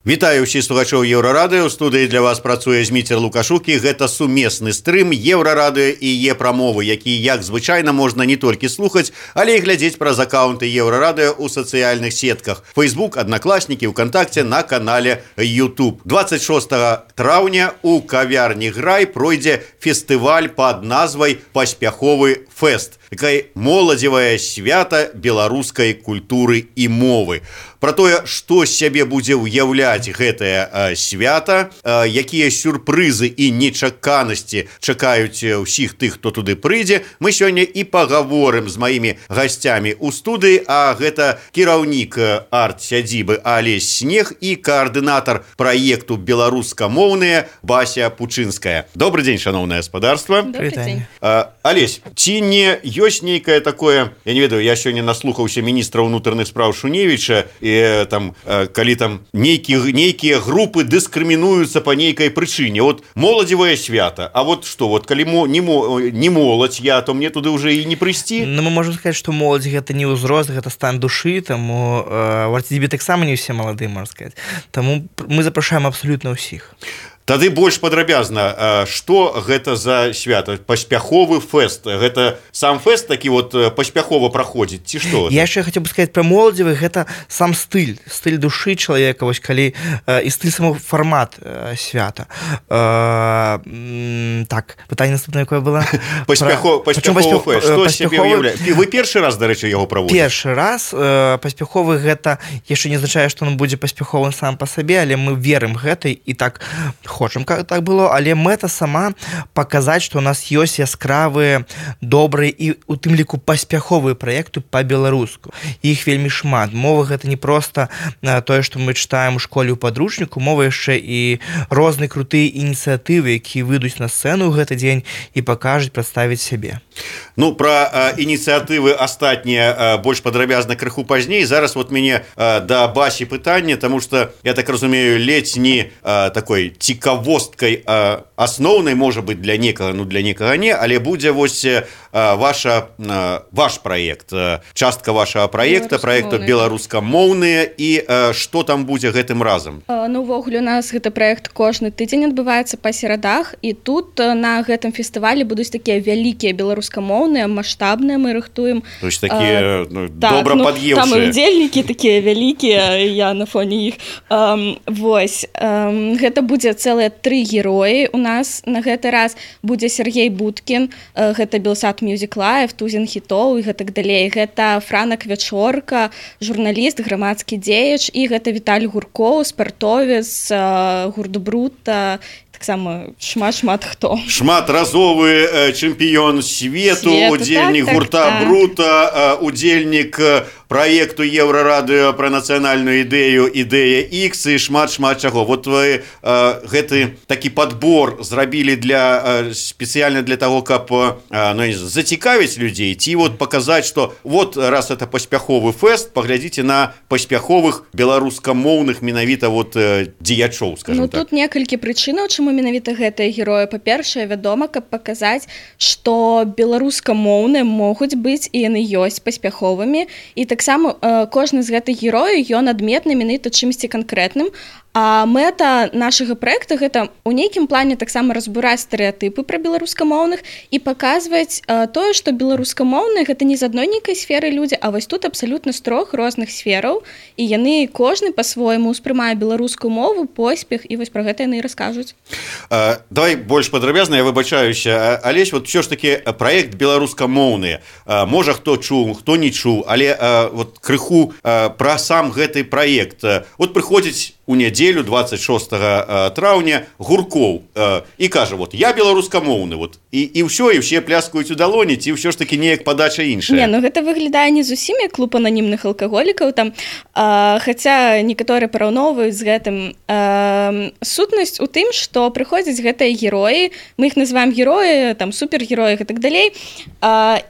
Вітаю ўсіх слухачоў Еўрарадыё. У студыі для вас працуе Зміцер Лукашук, і гэта сумесны стрым Еўрарадыё і Е-прамовы, які, як звычайна, можна не толькі слухаць, але і глядзець праз акаунты Еўрарадыё ў сацыяльных сетках. Facebook, Аднакласнікі, ВКонтакце, на канале YouTube. 26 траўня у кавярні Грай пройдзе фестываль пад назвай «Паспяховы фэст». Такая моладзевае свята беларускай культуры і мовы. Пра тое, што з сябе будзе ўяўляць гэтае свята, якія сюрпрызы і нечаканасці чакаюць усіх тых, хто туды прыйдзе, мы сёння і пагаворым з маімі гасцямі ў студыі, а гэта кіраўнік арт-сядзібы Алесь Снег і каардынатар праекту «Беларускамоўныя» Бася Пучынская. Добрый дзень, шановнае гаспадарства. Добрый дзень. Алесь, ці не ёсць нейкае такое, я не ведаю, я сёння наслухаўся міністра ўнутраных спраў Шуневіча, і там, калі там нейкія групы дыскрымінуюцца па нейкай прычыне. Вот моладзевае свята, а вот што, вот калі не моладзь я, то мне туды ўжо і не прыйсці? Ну, мы можем сказаць, што моладзь гэта не ўзрост, гэта стан душы, таму у арт-сядзібе таксама не ўсе маладыя, можна сказаць. Таму мы запрашаем абсалютна ўсіх. Тады больш падрабязна, што гэта за свята? Паспяховы фэст. Гэта сам фэст такі вот паспяхова праходзіць, ці што? Я яшчэ хацеў бы сказаць пра моладзевы, гэта сам стыль душы чалавека, вось калі і стыль самого фармат свята. Так, пытанне наступнае якое было? Паспяховы фэст. Што з сябе ўяўляе? Вы першы раз, дарэчы, яго праводзіце? Першы раз. Паспяховы гэта яшчэ не азначае, што ён будзе паспяховым сам па сабе, але мы верым гэтай і так хочам, как так было, але мэта сама паказаць, што ў нас ёсць яскравыя, добрыя і у тым ліку паспяховыя праекты па-беларуску. Іх вельмі шмат. Мова гэта не проста тое, што мы чытаем у школе ў падручніку, мова яшчэ і розныя крутыя ініцыятывы, якія выйдуць на сцэну ў гэты дзень і пакажуць, прадставіць сябе. Ну, пра ініцыятывы астатнія больш падрабязна крыху пазней. Зараз вот мяне да Басі пытанне, таму што, я так разумею, ледзь не такой цікавосткай асноўнай, можа быць, для некага, ну для некага не, але будзе вось ваш праект, частка вашага праекту «Беларускамоўныя», і што там будзе гэтым разам? Ну, увогуле, у нас гэты праект кожны тыдзень адбываецца па серадах, і тут на гэтым фестывалі будуць такія вялікія беларускамоўныя, маштабныя, мы рыхтуем. То есть такія добра пад'еўшыя. Там удзельнікі такія вялікія, я на фоне іх. Вось, гэта будзе цэлыя 3 героі у нас. На гэты раз будзе Сергей Будкін, гэта Белсат Music Live, тузін хітоў і гэтак далей. Гэта Франа Квячорка, журналіст, грамадскі дзеяч, і гэта Віталь Гуркоў, спартовец, гурту Брута, таксама шмат хто. Шматразовы чэмпіён свету, удзельнік гурта Брута, удзельнік праекту Еўрарадыё пра нацыянальную ідэю «Ідэя X» і шмат чаго. Вот вы гэты такі падбор зрабілі спецыяльна для таго, каб зацікавіць людзей, ці вот паказаць, што вот раз это паспяховы фэст, паглядзіце на паспяховых беларускамоўных менавіта вот дзеячоў, скажем так. Ну, тут некалькі прычынаў, чаму менавіта гэтыя героі. Па-першае, вядома, каб паказаць, што беларускамоўныя могуць быць і яны ёсць паспяховымі, і таксама кожны з гэтых герояў ён адметны менавіта чымсьці канкрэтным. А мэта нашага праекта гэта ў нейкім плане таксама разбураць стэрэатыпы пра беларускамоўных і паказваць тое, што беларускамоўныя гэта не з адной нейкай сферы людзі, а вось тут абсалютна з 3 розных сфераў, і яны кожны па-свойму ўспрымае беларускую мову, поспех, і вось пра гэта яны і раскажуць. Давай больш падрабязна, я выбачаюся. Алесь, вот ўсё ж такі праект «Беларускамоўныя». Можа, хто чуў, хто не чуў, але вот крыху пра сам гэты праект. Вот прыходзіць у нядзелю 26 траўня Гуркоў і кажа, вот я беларускамоўны, вот і ўсё, і ўсе пляскаюць у далоні, ці ўсё ж такі неяк падача іншая? Не, ну гэта выглядае не зусім як клуб ананімных алкаголікаў там, хаця некаторыя параўноўваюць з гэтым. Сутнасць у тым, што прыходзяць гэтыя героі, мы іх называем героі, там супергероі і так далей,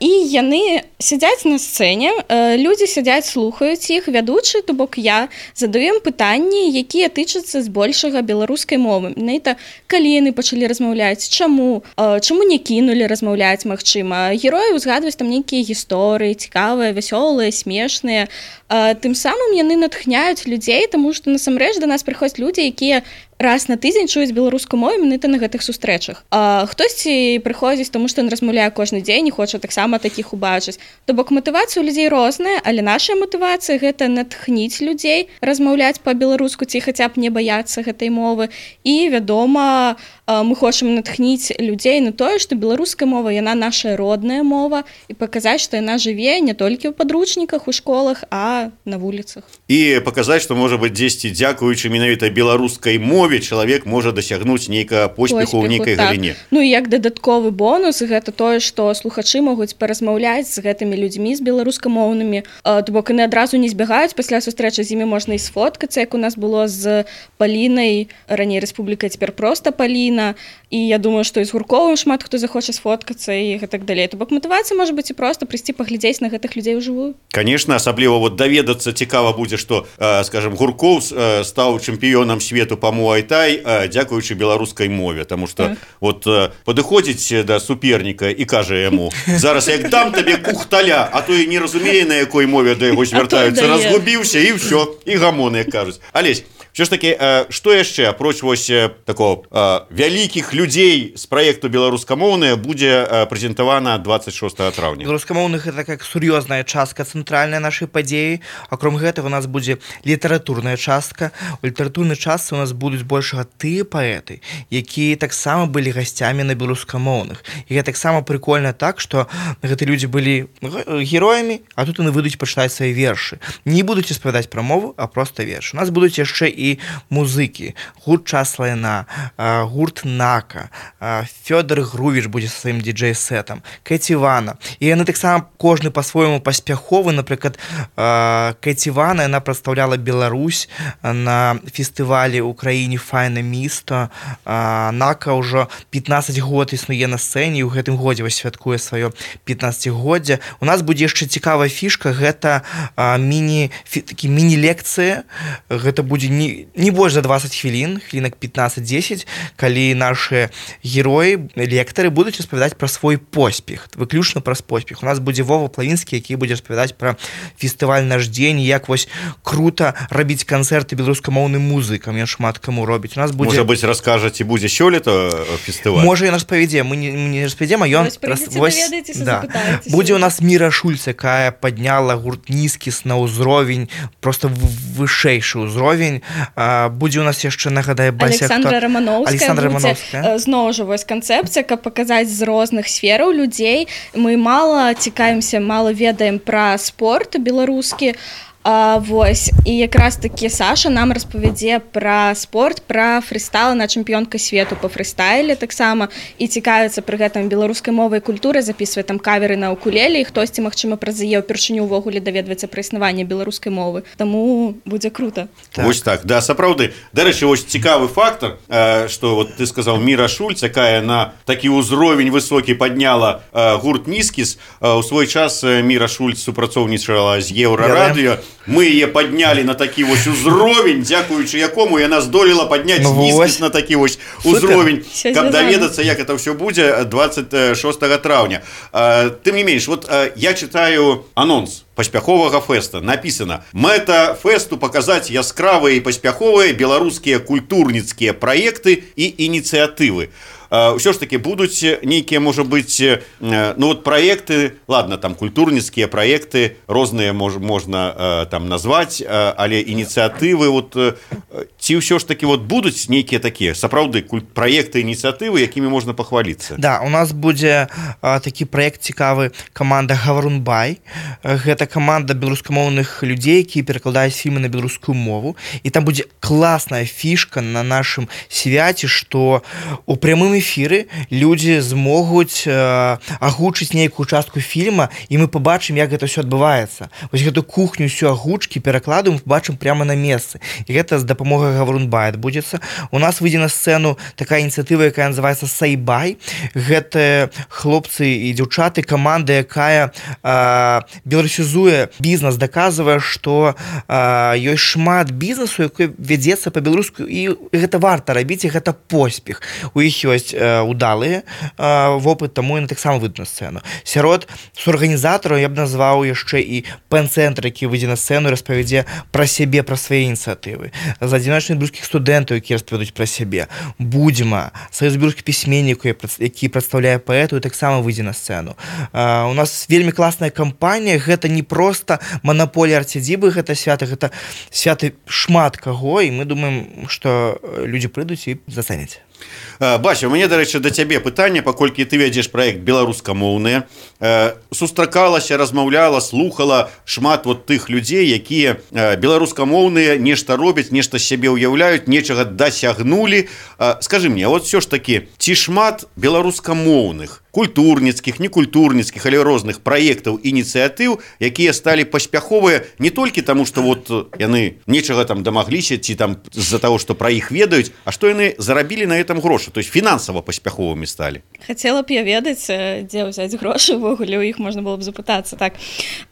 і яны сядзяць на сцэне, людзі сядзяць, слухаюць іх, вядучы, то бок я задаю ім пытанні, якія тычыцца збольшага беларускай мовы. Менавіта калі яны пачалі размаўляць, чаму не кінулі размаўляць, магчыма. Героі узгадваюць там нейкія гісторыі, цікавыя, вясёлыя, смешныя. Тым самым яны натхняюць людзей, таму што насамрэч да нас прыходзяць людзі, якія раз на тыдзень чуюць беларускую мову менавіта на гэтых сустрэчах. Хтосьці прыходзіць, таму што ён размаўляе кожны дзень і хоча таксама такіх убачыць. То бок матывацыя ў людзей розная, але наша матывацыя гэта натхніць людзей размаўляць па-беларуску ці хаця б не баяцца гэтай мовы. І, вядома, мы хочам натхніць людзей на тое, што беларуская мова, яна наша родная мова, і паказаць, што яна жыве не толькі ў падручніках, у школах, а на вуліцах. І паказаць, што, можа быць, дзесьці, дзякуючы менавіта беларускай мове, чалавек можа дасягнуць нейкага поспеху ў нейкай галіне. Ну і як дадатковы бонус, гэта тое, што слухачы могуць паразмаўляць з гэтымі людзьмі, з беларускамоўнымі. То бок яны адразу не збягаюць, пасля сустрэчы з імі можна і сфоткацца, як у нас было з Палінай, раней Рэспубліка, цяпер проста Паліна. І я думаю, што і з Гурковым шмат хто захоча сфоткацца і гэтак далей. То бок матывацыя можа быць і проста прыйсці паглядзець на гэтых людзей ужывую. Конечно, асабліва даведацца цікава будзе, што, скажем, Гурков стаў чэмпіёнам свету па муай-тай дзякуючы беларускай мове, таму што падыходзіць да суперніка і кажа яму: зараз як дам табе кухталя, а то і не разумее, на якой мове да яго звяртаюцца, разгубіўся і ўсё, і гамоны, як кажуць. Алесь, все ж таки, што яшчэ апроч вось такого вялікіх людзей з праекту беларускамоўныя будзе прэзентавана 26 траўня? Беларускамоўных гэта как сур'ёзная частка цэнтральная нашай падзеі. Акром гэтага у нас будзе літаратурная частка. У літаратурнай частцы у нас будуць большага тыя паэты, якія таксама былі гасцямі на беларускамоўных. І гэта таксама прикольна так, што гэтыя людзі былі героямі, а тут яны выйдуць пачытаць свае вершы. Не будуць распавядаць пра мову, а проста вершы. У нас будуць яшчэ і музыкі. Гурт «Час лайна», гурт «Нака», Фёдор Грувіч будзе са сваім діджэй-сетам, Кэці Вана. І яны таксама кожны па-свойму паспяховы. Напрыклад, Кэці Вана, яна прадстаўляла Беларусь на фестывалі ў краіне «Файна місто». Нака ўжо 15 год існуе на сцэне, і ў гэтым годзе святкуе сваё 15-годдзе. У нас будзе яшчэ цікавая фішка, гэта міні-лекцыя. Гэта будзе не больш за 20 хвілін, хвілінак 15-10, калі наши героі, лектары будуць распавядаць пра свой поспех, выключна пра поспех. У нас будзе Вова Плавінскі, які будзе распавядаць пра фестываль «Наш дзень», як вось крута рабіць канцэрты беларускамоўным музыкам, ён шмат каму робіць. У нас будзе... Можа быць, раскажа, ці будзе сёлета фестываль? Можа, ён распавядзе, мы не распавядзем, а ён... Будзе у нас Міра Шульц, якая падняла гурт «Нізкіс» на ўзровень, просто вышэйшы ўзровень. Будзе у нас яшчэ, нагадаю, Александра Рамановская. Зноў жа вось канцэпцыя, каб паказаць з розных сфераў людзей. Мы мала цікавімся, мала ведаем пра спорт беларускі. Вось, і якраз такі Саша нам распавядзе пра спорт, пра фрыстайл, на чэмпіёнка свету па фрыстайле таксама, і цікавіцца пры гэтым беларускай мовай і культурай, запісвае там каверы на укулеле, і хтосьці, магчыма, праз яе ўпершыню ўвогуле даведваецца пра існаванне беларускай мовы. Таму будзе крута. Вось так, да, сапраўды. Дарэчы, вось цікавы фактор, што вот ты сказаў, Міра Шульц, якая на такі ўзровень высокі падняла гурт «Нізкіс». У свой час Міра Шульц супрацоўнічала з Еўрарадыё. Мы яе паднялі на такі вось узровень, дзякуючы якому яна здолела падняць «Нізкіс» на такі вось узровень, каб даведацца, як это ўсё будзе 26 траўня. Тым не менш, вот я читаю анонс паспяховага фэста. Напісана: мэта фэсту паказаць яскравыя і паспяховыя беларускія культурніцкія праекты і ініцыятывы. Ўсё ж таки будуць нейкія, можа быць, ну вот праекты, ладно, там культурніцкія праекты розныя можна там назваць, але ініцыятывы, вот ці ўсё ж таки вот будуць нейкія такія сапраўды праекты, ініцыятывы, якімі можна пахваліцца? Да, у нас будзе такі праект цікавы, каманда Гаврунбай. Гэта каманда беларускамоўных людзей, якія перакладаюць фільмы на беларускую мову, і там будзе класная фішка на нашым свяце, што у прямым эфіры людзі змогуць агучыць нейкую частку фільма, і мы пабачым, як гэта ўсё адбываецца. Вось гэту кухню ўсё агучкі перакладу мы пабачым прямо на месцы. І гэта з дапамогай Гаврунбай адбудзецца. У нас выйдзе на сцэну такая ініцыятыва, якая называецца «Сайбай». Гэта хлопцы і дзяўчаты, каманда, якая беларусізуе бізнес, даказвае, што ёсць шмат бізнесу, які вядзецца па-беларуску, і гэта варта рабіць, і гэта поспех. У іх ёсць удалыя вопыт, таму яны таксама выйдуць на сцэну. Сярод суарганізатараў я б назваў яшчэ і пэн-цэнтр, які выйдзе на сцэну і распавядзе пра сябе, пра свае ініцыятывы. З адзіночных беларускіх студэнтаў, якія распавядуць пра сябе. Будзьма, саюз беларускіх пісьменнікаў, які прадстаўляе паэту, і таксама выйдзе на сцэну. У нас вельмі класная кампанія, гэта не проста манаполія арцядзібы, гэта святы шмат каго, і мы думаем, што людзі прыйдуць і зацэняць. Бася, у мяне, дарэчы, да цябе пытанне, паколькі ты вядзеш праект беларускамоўныя. Сустракалася, размаўляла, слухала шмат вот тых людзей, якія беларускамоўныя нешта робяць, нешта з сябе ўяўляюць, нечага дасягнулі. Скажы мне, вот все ж такі, ці шмат беларускамоўных, культурніцкіх, некультурніцкіх, але розных праектаў, ініцыятыў, якія сталі паспяховыя не толькі таму, што вот яны нечага там дамагліся, ці там з-за таго, што пра іх ведаюць, а што яны зарабілі на этом грошы, то есть фінансава паспяховымі сталі. Хацела б я ведаць, дзе ўзяць грошы, увогуле ў іх можна было б запытацца. Так.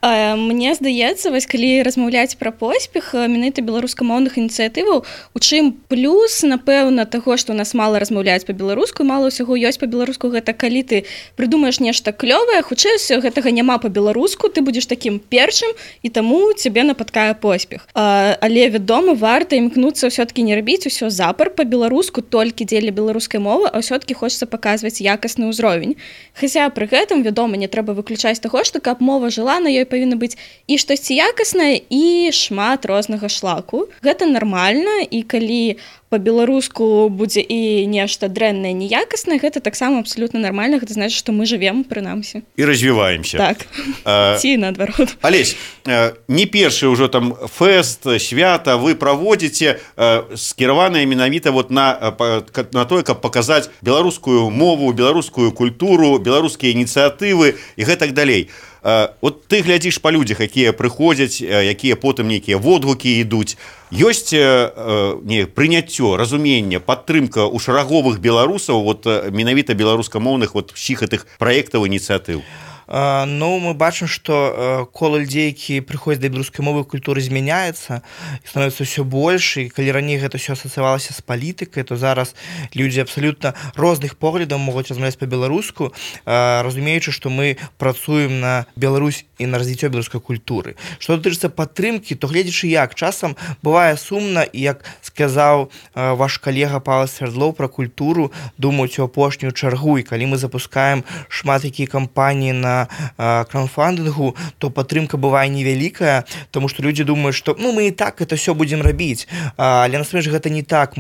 Мне здаецца, вось калі размаўляць пра поспех менавіта беларускамоўных ініцыятываў, у чым плюс, напэўна, таго, што у нас мала размаўляюць па-беларуску, мала ўсяго ёсць па-беларуску, гэта калі ты прыдумаеш нешта клёвае, хутчэй гэтага няма па-беларуску, ты будзеш такім першым, і таму цябе напаткае поспех. Але, вядома, варта імкнуцца ўсё-такі не рабіць усё запар па-беларуску толькі дзеля беларускай мовы, а ўсё-такі хочацца паказваць якасны ўзровень. Хаця пры гэтым, вядома, не трэба выключаць таго, што каб мова жыла, на ёй павінна быць і штосьці якаснае, і шмат рознага шлаку. Гэта нармальна, і калі па-беларуску будзе і нешта дрэннае, неякаснае, гэта таксама абсалютна нармальна, гэта значыць, што мы жывем, прынамсі. І развіваемся. Так, ці наадварот. Алесь, не першы ўжо там фэст, свята вы праводзіце, скіраваныя менавіта вот на тое, каб паказаць беларускую мову, беларускую культуру, беларускія ініцыятывы і гэтак далей. Вот ты глядзіш па людзях, якія прыходзяць, якія потым нейкія водгукі ідуць. Ёсць прыняццё, разуменне, падтрымка ў шараговых беларусаў, вот менавіта беларускамоўных вот усіх гэтых праектаў, ініцыятыў? Ну, мы бачым, што кола людзей, які прыходзяць да беларускай мовы, культуры змяняецца і становіцца ўсё больш, і калі раней гэта ўсё асацыявалася з палітыкай, то зараз людзі абсалютна розных поглядаў могуць размаўляць па-беларуску, разумеючы, што мы працуем на Беларусь і на развіццё беларускай культуры. Што датычыцца падтрымкі, то гледзячы як, часам бывае сумна, і як сказаў ваш калега Павел Свердлоў пра культуру, думаюць у апошнюю чаргу, і калі мы запускаем шмат якія кампаніі на краундфандынгу, то падтрымка бывае невялікая, тому што людзі думаюць, што мы і так это все будзем рабіць, але насамрэч гэта не так.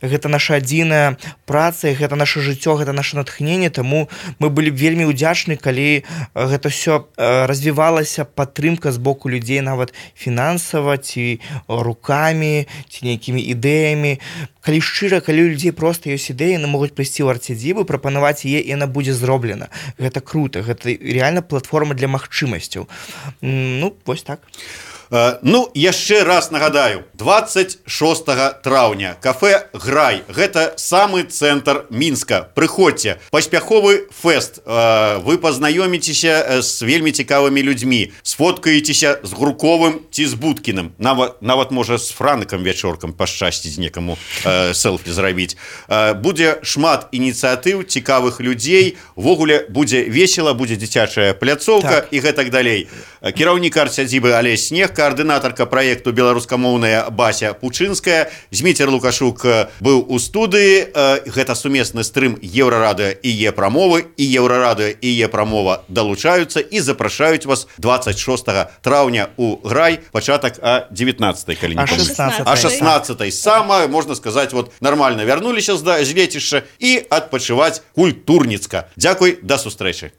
Гэта наша адзіная праца, гэта наша жыццё, гэта наша натхненне, таму мы былі вельмі ўдзячны, калі гэта все развівалася, падтрымка з боку людзей, нават фінансава, ці рукамі, ці нейкімі ідэямі. Калі шчыра, калі у людзей проста ёсць ідэі, яны могуць прыйсці ў арцядзібу, прапанаваць яе, і яна будзе зроблена. Гэта крута, гэта реально платформа для магчымасцяў. Ну, вось так. Ну, яшчэ раз нагадаю, 26 траўня кафэ «Грай». Гэта самы цэнтр Мінска. Прыходзьце, паспяховы фэст. Вы пазнаёміцеся з вельмі цікавымі людзьмі, сфоткаецеся з Груковым ці з Будкіным. Нават можа з Франыкам вячоркам пашчасціць некаму селфі зрабіць. Будзе шмат ініцыятыў, цікавых людзей. Ввогуле будзе весела, будзе дзіцячая пляцоўка, так, і гэтак далей. Кіраўнік арцядзібы Алесь Снег, координатарка проекту беларускамоўная Бася Пучынская. Зміцер Лукашук быў у студыі. Гэта сумесны стрым Еўрарадыё і Е-прамовы, і Еўрарадыё і Е-прамова далучаюцца і запрашаюць вас 26 траўня у Грай, пачатак о 19-й, калі не помню. О 16-й. Самое, можно сказать, вот нормально вярнуліся з лецішча і адпачываць культурніцка. Дзякуй, да сустрэчы.